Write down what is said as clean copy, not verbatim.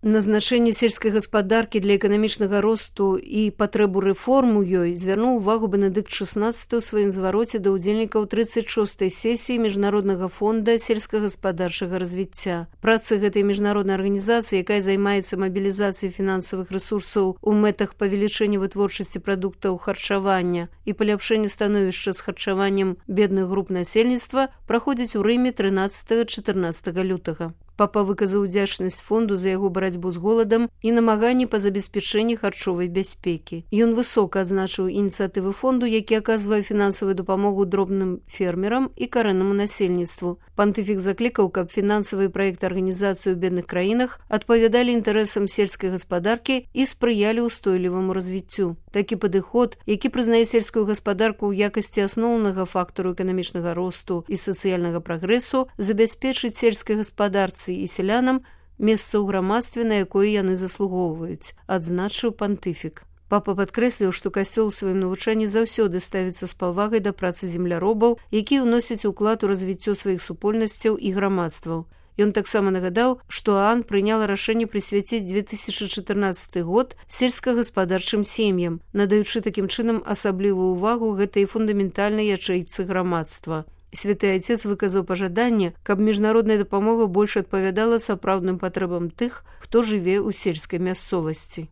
На значэнне сельскай гаспадаркі для эканамічнага росту і патрэбу рэформ у ёй звярнуў увагу Бенедыкт XVI ў сваім звароце да ўдзельнікаў 36-й сесіі Міжнароднага фонда сельскагаспадарчага развіцця. Працы гэтай міжнароднай арганізацыі, якая займаецца мабілізацыяй фінансавых рэсурсаў у мэтах павелічэння вытворчасці прадуктаў харчавання і паляпшэння становішча з харчаваннем бедных груп насельніцтва, праходзіць у Рыме 13-14 лютага. Папа выказаў удзячнасць фонду за яго барацьбу з голадам і намаганні па забеспячэнні харчовай бяспекі. Ён высока адзначыў ініцыятывы фонду, які аказвае фінансавую дапамогу дробным фермерам і карэннаму насельніцтву. Пантыфік заклікаў, каб фінансавыя праекты арганізацыі ў бедных краінах адпавядалі інтарэсам сельскай гаспадаркі і спрыялі ўстойліваму развіццю. Такі падыход, які прызнае сельскую гаспадарку ў якасці асноўнага фактару эканамічнага росту і сацыяльнага прагрэсу, забяспечыць сельскай гаспадарцы і сялянам месца ў грамадстве, на якое яны заслугоўваюць, адзначыў пантыфік. Папа падкрэсліў, што касцёл у сваім навучанні заўсёды ставіцца з павагай да працы земляробаў, якія ўносяць уклад у развіццё сваіх супольнасцяў і грамадстваў. Ён таксама нагадаў, што ААН прыняла рашэнне прысвяціць 2014 год сельскагаспадарчым сем'ям, надаючы такім чынам асаблівую ўвагу гэтай фундаментальнай ячэйцы грамадства. Святы Айцец выказаў пажаданне, каб міжнародная дапамога больш адпавядала сапраўдным патрэбам тых, хто жыве ў сельскай мясцовасці.